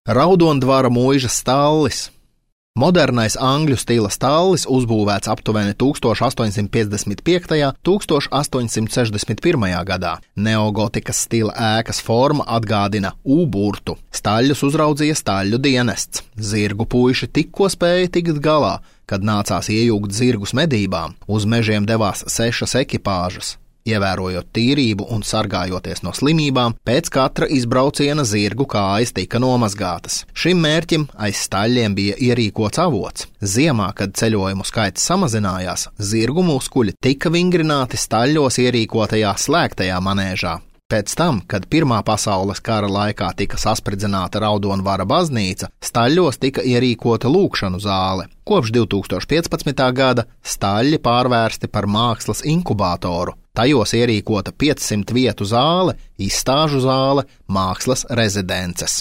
Raudondvara mūžas stallis. Modernais angļu stila stallis uzbūvēts aptuveni 1855. un 1861. gadā. Neogotikas stila ēkas forma atgādina U-burtu. Staļļus uzraudzīja staļļu dienests. Zirgu puiši tikko spēja tikt galā, kad nācās iejūgt zirgus medībām. Uz mežiem devās 6 ekipāžas. Ievērojot tīrību un sargājoties no slimībām, pēc katra izbrauciena zirgu kājas tika nomazgātas. Šim mērķim aiz staļļiem bija ierīkots avots. Ziemā, kad ceļojumu skaits samazinājās, zirgu muskuļi tika vingrināti staļļos ierīkotajā slēgtajā manēžā. Pēc tam, kad Pirmā pasaules kara laikā tika saspridzināta Raudondvara baznīca, staļļos tika ierīkota lūgšanu zāle. Kopš 2015. gada staļļi pārvērsti par mākslas inkubātoru. Tajos ierīkota 500 vietu zāle, izstāžu zāle, mākslas rezidences.